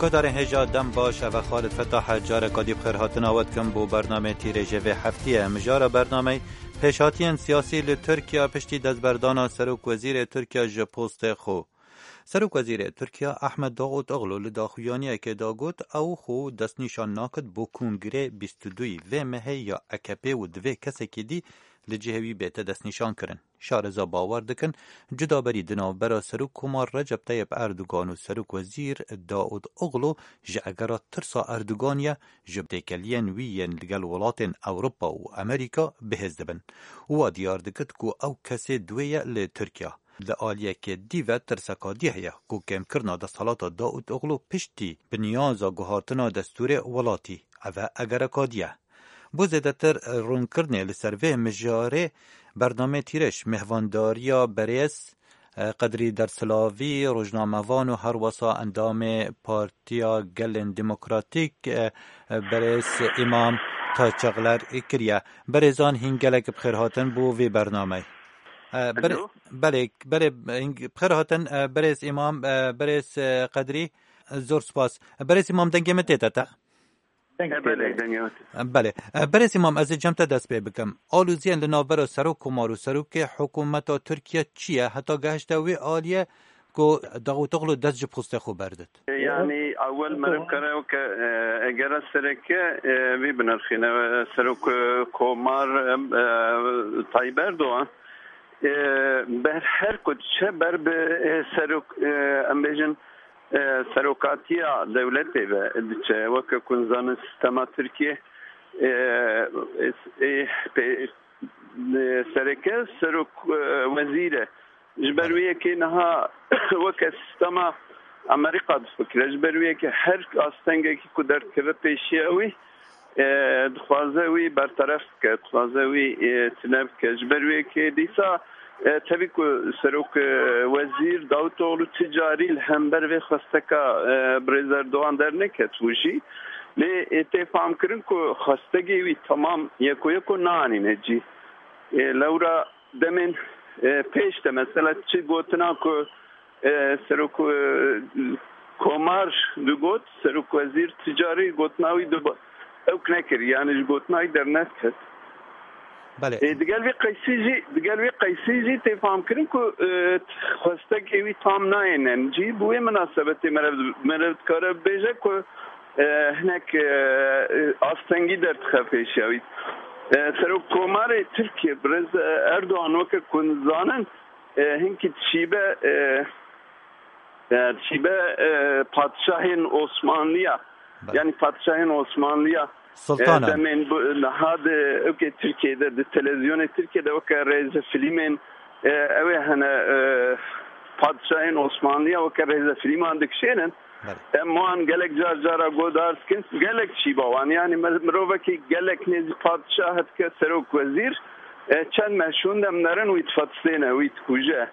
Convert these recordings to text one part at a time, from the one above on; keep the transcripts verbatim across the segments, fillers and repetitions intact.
Guhdarên hêja dem baş, ev e Xalid Fetah e, careka dî bi xêr hatina we dikim bo bernameyê Tîrêjê vê heftiyê. Mijara bernameyê: pêşhatiyên siyasî li Tirkiye piştî destberdana Serokwezîrê Tirkiye ji postê xwe. Serokwezîrê Tirkiye Ahmet Davutoglu li daxuyaniyekê de got, ew xwe destnîşan nakit bo Kongirê bîst û duyî vê mehê ya A K P û divê kesekî dî li cihê wî bête destnîşankirin. Şareza bawer dikin, cudaberî di navbera Serokkomar Recep Tayyip Erdogan û Serokwezîr Davutoglu ji egera tirsa Erdogan ye, ji têkeliyên wî yên li gel welatên Ewropa û Amerîka bihêz dibin. Wa diyar dikit ku ew kesê duwê ye li Tirkiye. Li aliyekê dî ve tirseka dî heye ku kêmkirina desthilata Davutoglu piştî bi niyaza guhartina destûrê welatî, ev e egereka dî ye. Bo zêdetir rûnkirinê li ser vê mijarê bernameyê Tîrêj mêhvandariya berêz, e, Qedrî Dersilavî, rojnamevan û herwesa endamê Partiya Gelên Demokratîk, e, e, berêz Îmam Taçeqler kiriye. Berêzan hîn gelek bi xêr hatin bo vê bernameyê. E, ber-, Alo? Belê, belê, hîn bi xêr hatin, e, berêz Îmam, e, berêz, e, Qedrî, e, zor spas. Berêz Îmam, dengê min tê te te? Deng He, belê, tê de. Dengê min tê. Belê. E, berêz Îmam, ez ê cem te dest pê bikim. Aloziyên li navbera Serokkomar û Serokê Hikûmeta Tirkiye çi ye? Heta gehişte wê aliyê ku Davutoglu dest ji postê xwe berdit. Yani, ewel meriv kare weke, e, egera sereke, e, vî binirxîne, e, Serok, e, Komar, e, e, Tayyip Erdoğan. E, ber her ku diçe ber bi, e, serok, e, em bêjin, e, serokatiya dewletê ve diçe. Weke ku nizanin sistema Tirkiye, e, e, e, pê-, e, sereke serok, e, wezîr e. Ji ber wê yekê niha weke sistema Amerîka difikire. Ji ber wê yekê her astengekî ku derdikeve pêşiya wî, e, dixwaze wî berteref bike, dixwaze wî, e, tune bike. Ji ber wê yekê dîsa, e, tevî ku serok, e, wezîr Davutoglu ti carî li hember vê xwesteka, e, birêz Erdogan derneket û jî lê, e, tê famkirin ku xwestegê wî temam yeko yeko nanîne cî. E, lewra demên, e, pêş de mesela çi gotina ku, e, serok, e, Komar digot, serok wezîr ti carî gotina wî dibo, ewk nekir, yani ji gotina wî derneket. Belê. E, digel vê qeysî jî, digel vê qeysî jî tê famkirin ku, e, xwestekê wî tam nayêne cî. Bi wê minasebetê meriv, meriv dikare bibêje ku, e, hinek, e, e, astengî derdixe pêşiya wî. E, Serok Komarê Tirkiye, Birêz Erdogan, weke ku nizanin, e, hinkî dişîbe, e, e, dişîbe, e, padşahên Osmanliya. Belê. Yani padşahên Osmanliya, Sultanan. E, demên bu, niha di, weke Tirkiye de, di televizyonê Tirkiye de weke rêzefîlmên, e, ew ê hene, e, padşahên Osmanliya weke rêzefîlman dikişênin. Belê. Em wan gelek car cara godar dikin, gelek çîba wan. Yani me-, mirovekî gelek nêzî padşah dike, serok wezîr, e, çend meh şûn dem nerin wî difetistêne, wî dikuje.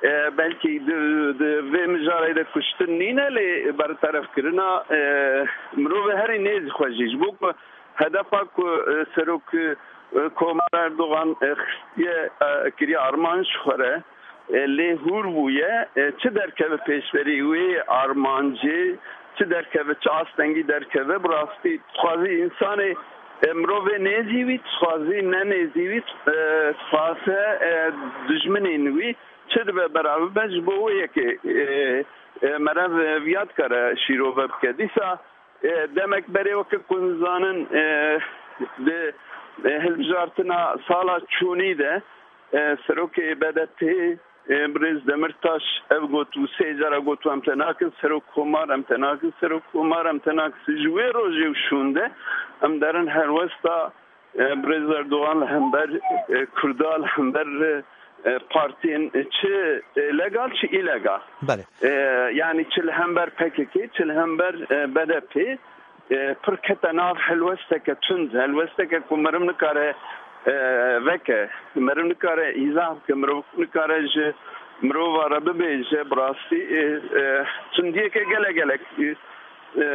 E, belkî di, di vê mijarê de kuştin nîne, lê berterefkirina, e, mirovê herî nêzî xwe jî. Ji bo ku hedefa ku, e, serok, e, Komar Erdogan, e, xistiye, e, kiriye armanc ji xwe re, e, lê hûr bûye, e, çi derkeve pêşberî wê armancê, çi derkeve, çi astengî derkeve, bi rastî dixwazî însanê, e, mirovê nêzî wî, dixwazî ne nêzî wî, e, dixwaze, e, dijminên wî çi dibe bera bibe, ji bo wê yekê, e, e, meriv, e, viya dikare şîrove bike. Dîsa, e, demek berê weke ku nizanin, e, di, e, hilbijartina sala çûnî de, e, serokê B D P, e, Birêz Demirtaş ev got û sê cara got, em te nakin serok komar, em te nakin serok komar, em te nakin. Ji wê rojê û şûnde em derin helwesta, e, Birêz Erdogan li hember, e, Kurda, li hember, e, partiyên, e, çi, e, legal, çi îlegal. Belê. E, yani çi li hember P K K, çi li hember, e, B D P, e, pir kete nav helwesteke tund, helwesteke ku meriv nikare, e, veke, meriv nikare îzah bike, meriv nikare ji mirova re bibêje, bi rastî, e, e, tundiyeke gelek gelek, e, e,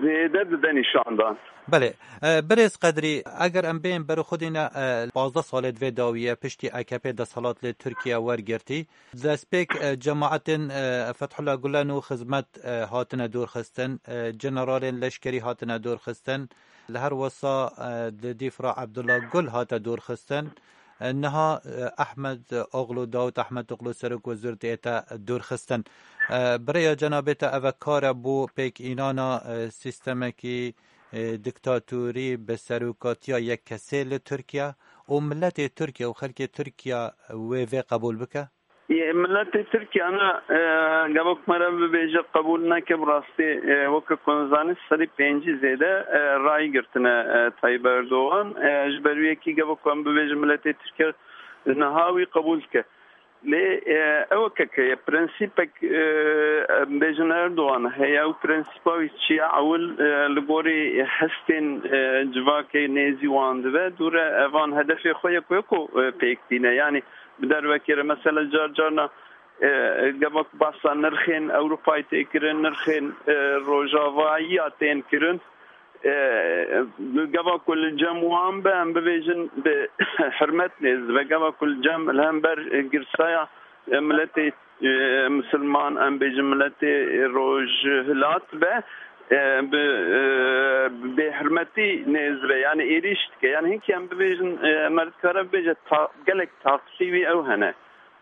zêde dide nîşandan. Belê. E, Birêz Qedrî, eger em bêyên berxwedîne, e, pazdeh salê di vê dawî ye, piştî A K P desthilat li Tirkiye wergirtî. Destpêk, e, cemaetên, e, Fethullah Gulen û Xizmet, e, hatine dorxistin, e, generalên leşkerî hatine dorxistin. Li her wesa, e, di dîfra Abdullah Gul hate dorxistin. E, niha, e, Ahmed Oglu, Dawud Ahmed Oglu, Serok Wezîr dihête dorxistin. E, bi rêya cenabê te, eve kar e bo pêkînana, e, sîstemekî, e, diktatorî bi serokatiya yek kesê li Tirkiye û miletê Tirkiye û xelkê Tirkiye wê vê qebûl bike? Yê miletê Tirkiye ne, e, gava ku me re bibêje qebûl neke, bi rastî, e, weke ku hûn zanî, sedî pêncî zêde, e, rayî girtine, e, Tayyip Erdogan. E, ji ber wî yekî gava ku em bibêjin miletê Tirkiye niha wî qebûl dike. Lê, e, ew weke ke ye, prensîpek, e, em bêjin Erdogan heye û prensîpa wî çi ye? Ewil, e, li gorî hestên, e, civakê nêzî wan dibe, dûre evan hedefê xwe ye ku, ku, e, pêk tîne. Yanî bi dervekê re, mesela car carna, e, gava ku behsa nirxên Ewropayê tê kirin, nirxên, e, rojavayiya tên kirin, e, gava ku li cem wan be, em bibêjin bi hirmet nêz dibe. Gava ku li cem, li hember girsaya, e, miletê, e, misilman, em bêjin miletê rojhilat be, e, bi, e, bêhirmetî nêz dibe. Yanî êrîş dike. Yanî hinkî em bibêjin, e, me dikare bibêje ta-, gelek taqsî wî ew hene.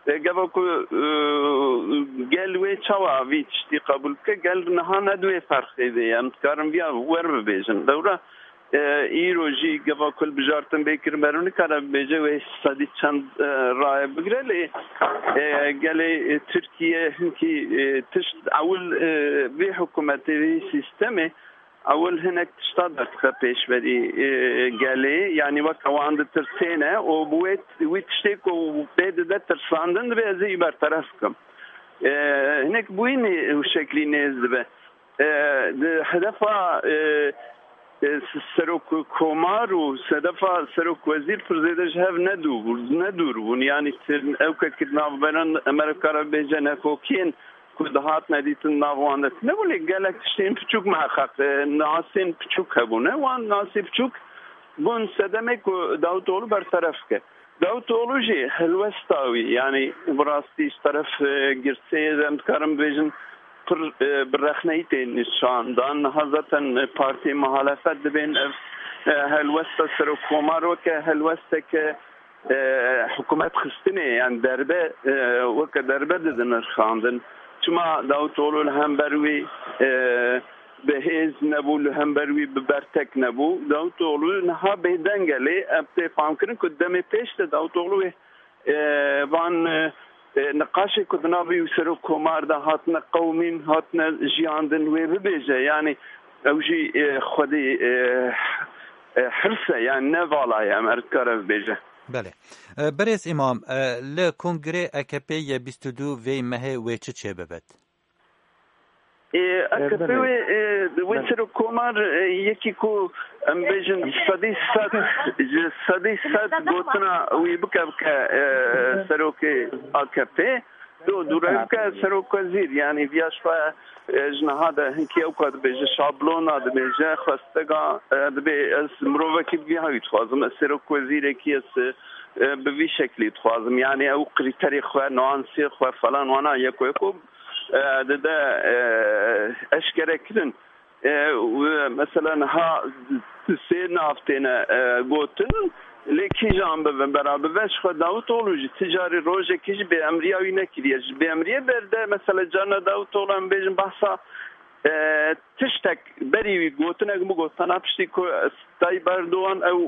E, gava ku, e, gel wê çawa vî tiştî qebûl bike, gel niha ne di wê ferqê de ye. Em dikarin viya wer bibêjin. Lewra, e, îro jî gava ku li bijartin bê kirin, ber nikare bibêje wê sedî çend, e, raye bigire, lê, e, gelê, e, Tirkiye hinkî, e, tişt ewil, e, vê hikûmetê, vê sîstemê ewil hinek tişta derdixe pêşberî, e, gelê, yanî weke wan ditirsêne û bi wê, wî tiştê ku pê dide tirsandin, divê ez ê berteref bikim. E, hinek bûyî nê, û şeklî nêz dibe. E, di hedefa, e, e, s-, serok komar û hedefa serok wezîr pir zêde ji hev nedû-, nedûr bûn. Yanî ti-, ew ke ki navberan, em ê kare bêje nekokiyên ku dihatine dîtin nav wan de tune bû, lê gelek tiştên piçûk miheqeq, e, nasên piçûk hebûne. Wan nasê piçûk bûn sedemê ku Davutoglu berteref ke. Davutoglu jî helwesta wî, yanî bi rastî ji teref, e, girseyê de em dikarin bibêjin pir, e, bi rexneyî tê nîşandan. Niha zaten, e, partiyê muhalefet dibên ev, e, helwesta serokkomar weke helwesteke e, hikûmet xistinê, yan derbe, e, weke derbe didin nirxandin. Çima Davutoglu li hember wî, e, bi hêz nebû, li hember wî bi bertek nebû? Davutoglu niha bêdeng e, lê em tê famkirin ku demê pêş de Davutoglu wê, e, van, e, e, niqaşê ku di nav wî û serok komar de hatine qewimîn, hatine jiyandin, wê bibêje. Yanî ew jî, e, xwedî, e, e, hirs e, yanî ne vala ye, em her dikare bibêje. Belê. E, Birêz Îmam, e, li kongrê A K P yê bîst û du vê mehê wê çi çêbibit? E, E, A K P belê. wê, e, wê Belê. serok komar, e, yekî ku em bêjin sedî sed, ji sedî sed gotina wî bike, bike, e, serokê A K P. Do, dûre bike serok wezîr, yanî viya ji xwe, e, ji niha de hinkî ew ka dibêje, şablona dibêje, xwestega, e, dibê ez mirovekî bi vî hawî dixwazim, ez serok wezîrekî, ez, e, bi vî şeklî dixwazim. Yanî ew krîterê xwe, nuansê xwe falan wana yeko yeko, e, dide, e, eşkere kirin. E, û mesela niha sê nav têne, e, gotin, lê kîjan bibin bera bibe, ji xwe Davutoglu jî ti carî rojekî jî bêemriya wî nekiriye. Ji bêemriyê berde, mesela carna Davutoglu em bêjin behsa, e, tiştek berî wî gotinek bû, gotina piştî ku Tayyip Erdogan ew,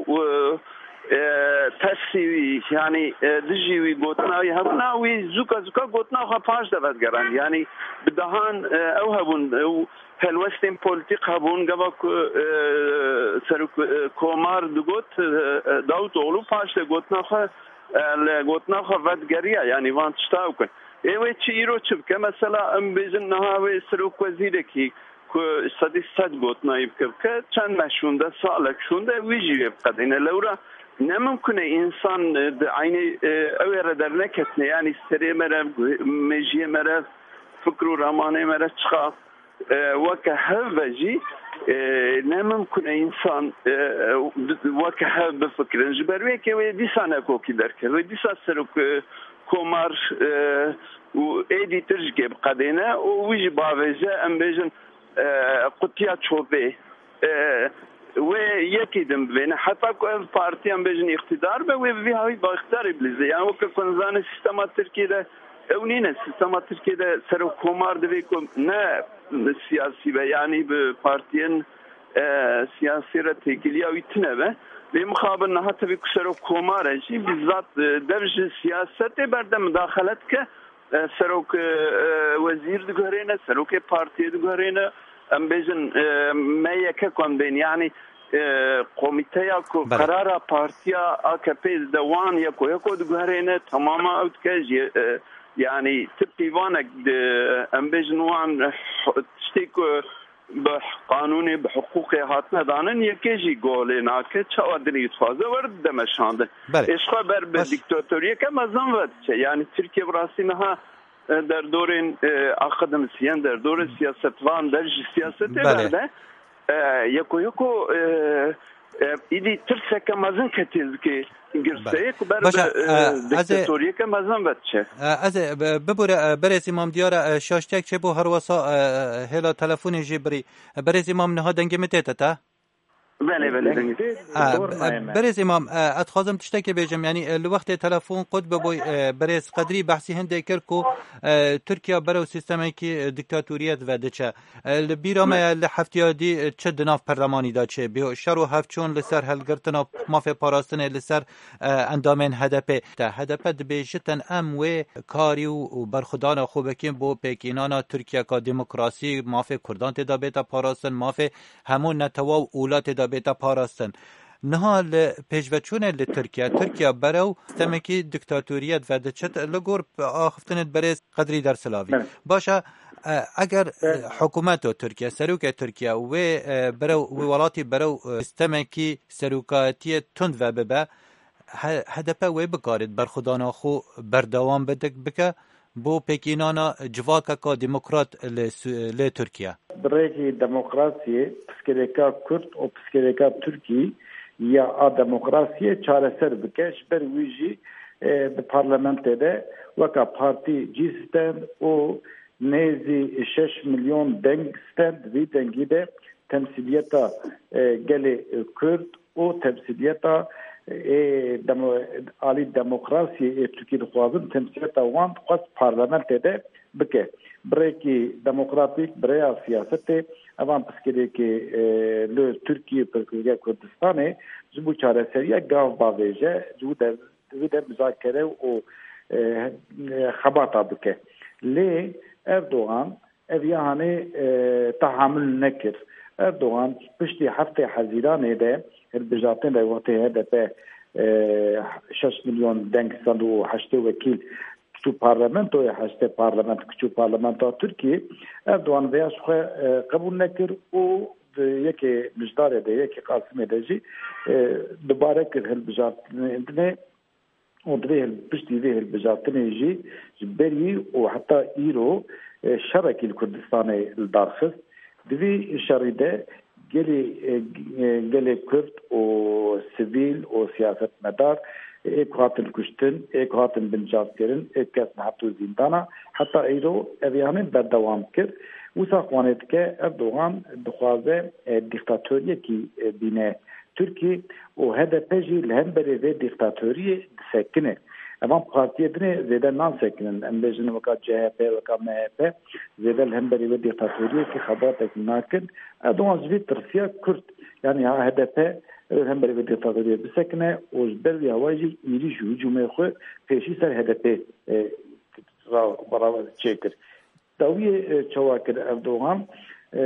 e, e, tersî wî, yanî, e, dijî wî gotina wî hebûna, wî zûka zûka gotina xwe paş de vedigerand. Yanî bi dehan, e, ew hebûn, ew helwestên polîtîk hebûn, gava ku, e, serok, e, komar digot, e, e, Davutoglu paş de gotina xwe, e, li gotina xwe vedigeriya, yanî van tişta ew kin. Ê wê çi îro çi bike? Mesela em bêjin niha wê serok wezîrekî ku sedî sed gotina wî bike bike, çend meh şûnde, salek şûnde wî jî wê biqedîne. Lewra ne mimkun e însan, e, di eynê, e, ew ê re derneketine, yanî serê me re, mêjiyê me re, fikr û ramanê me re çiqa E, weke hev ve jî, e, ne mimkun e însan, e, weke hev bifikirin. Ji ber wê yekê wê dîsa nekokî derket. Wê dîsa serok, e, komar, e, û êdî tirşikê biqedêne û wî jî bavêje, em bêjin, e, qutiya çopê. E, wê yekî din bibêne. Heta ku ev partî, em bêjin, îqtîdar be, wê bi vî hawî bi îqtîdarê bilîze. Yani weke ku em zanin sîstema Tirkiyê de ew nîne. Sîstema Tirkiyê de serok komar divê ku ne siyasî be, yani bi partiyên, e, siyasî re têkiliya wî tune be. Lê mixabin niha tevî ku serok komar e jî, bizzat, e, dev ji siyasetê berde, mudaxele dike. E, serok, e, e, wezîr diguherêne, serokê partiyê diguherêne. Em bêjin, e, me yeke ku em bên, yani, e, komîteya ku Belê. Qerara partiya A K P dide, wan yeko yeko diguherêne, temama ew dike jî, e, yani ti pîvanek di, em bêjin, wan, e, tiştê ku bi qanûnê, bi hiqûqê hatine danin, yekê jî golê nake, çawa dinê dixwaze were dide meşandin. Belê. Êşxa ber bi Baş. Dîktatoriyeke mezin ve diçe. Yani Tirkiye bi rastî niha, e, derdorên, e, akademîsyen, derdorên siyasetvan, dev ji siyasetê Belê. Berde. E, yeko yeko, e, e, îdî tirseke mezin ketiye zikê girseyê Belê. Ku ber Başa, bi, e, e, ez ê dîktatoriyeke mezin ve diçe. E, ez ê, bi-, bibûre, e, berêz Îmam Diyar e, şaştiyek çêbû, her wesa, e, hêla telefonê jî birî. E, berêz Îmam, niha dengê min tête te? Belê, belê, dengê. Ha, Dor e, nayê me. Berêz Îmam, e, ez dixwazim tiştekê bêjim, yanî, e, li wextê telefon qut bibûy, e, berêz Qedrî behsî hindê kir ku, e, Tirkiye berew sîstemekî, e, dîktatoriyet ve diçe. E, li bîra me ye, li heftêya dî, e, çi di nav perlemanî de çêbû. Şer û hevçûn li ser hilgirtina mafê parastinê li ser, e, endamên H D P. Te H D P dibêjitin, em wê karî û, û berxwedana xwe bikin bo pêkînana Tirkiyeka demokrasî, mafê Kurdan tê de bête parastin, mafê hemû netewa û wîlatê de bête parastin. Niha li pêşveçûnê li Tirkiye, Tirkiye berew sîstemekî dîktatoriyet ve diçit, li gor axiftinê berêz Qedrî Dersilavî. Evet. Baş e, e, eger, e, Evet. Hikûmeta Tirkiye, serokê Tirkiye wê, e, berew, wê welatî berew, e, sîstemekî serokatiyê tund ve bibe, H-, H D P wê bikarit berxwedana xwe berdewam bidik-, bike bo pêkînana civakeka demokrat li Su-, li Tirkiye. Bi rêkî demokrasiyê, piskirêka Kurd û piskirêka Tirkî ya a demokrasiyê çareser bike. Ji ber wî jî, e, di parlamentê de weka partî cî stend û nêzî şeş milyon deng stend. Vî dengî de temsîliyeta, e, gelê Kurd û temsîliyeta, e, demo-, alî demokrasiyê ê Tirkî dixwazin, temsîliyeta wan dixwest parlamentê de bike. Bi rêkî demokratîk, bi rêya siyasetê, evan pirsgirêkê, e, li Tirkiyê, pirsgirêka Kurdistanê ji bo çareseriya gav bavêje, ji bo de, divê de muzakere û, e, e, xebata bike. Lê Erdogan ev ya hanê, e, tehamul nekir. Erdogan piştî heftê Hezîranê de, hilbijartinê de wextê H D P, e, şeş milyon deng stend û heştê wekîl çû parlamentoyê, heştê parlament çû parlamentoya Tirkiyê, Erdogan vêya ji xwe, e, qebûl nekir û di yekê mijdarê de, yekê Qasimê de jî, e, dubare kir hilbijartinê û di vê hil-, piştî vê hilbijartinê jî ji berî û heta îro, e, şerekî li Kurdistanê li dar xist. Di vî şerî de gelê, e, e, gelê Kurd û sivîl û siyasetmedar, ê ku hatin kuştin, ê ku hatin binçavkirin, ê kes neheto zîndana, heta îro ev yanê berdewam kir. Wisa xwanê dike Erdogan dixwaze, e, dîktatoriyekî, e, bîne Tirkî û H D P jî li hemberî vê dîktatoriyê disekine. Evan partiyê dinê zêde nasekinin. Em bêjin weka C H P, weka M H P zêde li hemberî vê dîktatoriyekî xebatek nakin. Erdogan ji vê tirsiya Kurd, yanî ha H D P li hemberî vê dîktatoriyê bisekine û ji ber vî hawayê jî êrîş û hicûmê xwe pêşî ser H D P, e, ra-, beraber çêkir. Dawiyê, e, çawa kir Erdogan, e,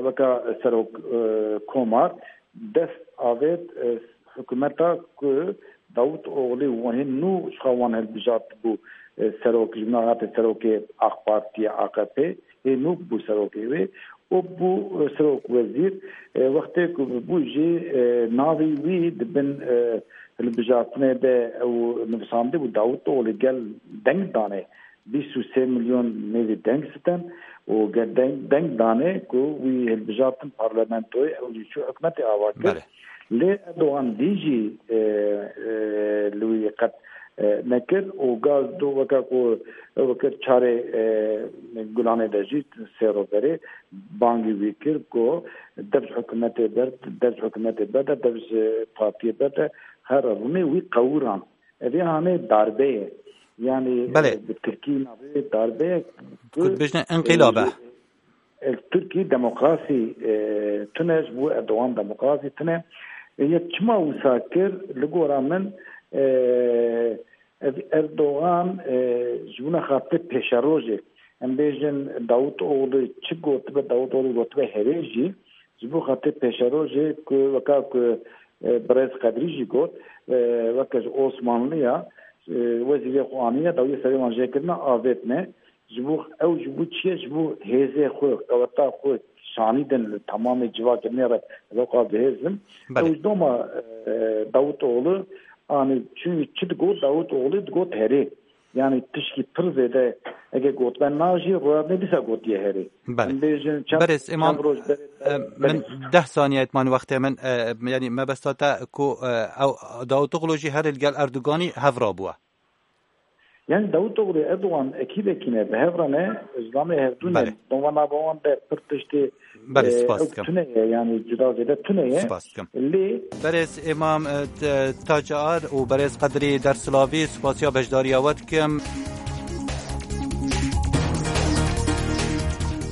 weka serok, e, komar dest avêt, e, hikûmeta ku Davut Oglî û hê nû ji xwe wan hilbijart bû, e, serok, ji min re hate serokê AK Partiyê, A K P, hê nû bû serokê wê û bû, e, serok wezîr, e, wextê ku bû jî, e, navê wî di bin, e, hilbijartinê de ew nivîsandibû Davut Oglî gel deng danê. bîst û sê milyon nêzî deng sitin û ger deng, deng dane ku wî hilbijartin parlamentoyê, ew jî çû hikûmetê ava kir. Belê. Lê Erdogan dî jî, e, e, li wî qet, e, nekir û gaz do weke ku, weke çarê, e, Gulanê de jî sê roj berê bangî wî kir ku dev ji hikûmetê ber, dev ji hikûmetê berde, dev ji partiyê berde, her rûnê wî qewûran. Ev ê hanê darbe ye. Yanî, Belê. e, bi Tirkî navê darbe ye. Ku dibêjne enqîlab e. E, Tirkî demokrasî, e, tune, ji bo Erdogan demokrasî tune. E, yek çima wisa kir, li gora min, e, ev Erdogan, e, ji bona xatir pêşerojê. Em bêjin Davutoğlu çi gotibe, Davutoğlu gotibe herê jî, ji bo xatir pêşerojê ku weka ku, e, Birêz Qedrî jî got, e, weke ji Osmanliya, e, wezîrê xwe aniye, dawiyê serê wan jêkirine, avêtine. Ji bo ew, ji bo çi ye? Ji bo hêzê xwe, qeweta xwe şanî din li temamê civakê nêre, ew qas bi hêz bin. Belê. Ew ji doma, e, Davutoğlu, anî çi, çi digot Davutoğlu, digot herê. Yanî tişkî pir zêde ege gotbe na jî, rûyadnê dîsa gotiye herê. Belê. Em bêjin çend, Berêz Îmam, çend roj berê, e, min berê. deh saniye etman wextê min, e, yanî mebesta te ku, e, ew Davutoğlu jî her li gel Erdoganî hev rabûye. Yanî Davutoğlu Erdogan ekîbekî ne, bi hev re ne, zilamê hevdû ne. Belê. Doma nava wan de pir tiştê, Belê, e, spas ew dikim. tune ye, yanî cuda zêde tune ye. Spas dikim. Lê Berêz Îmam, e, t-, Tacar û Berêz Qedrî Dersilavî, spasiya beşdariya we dikim.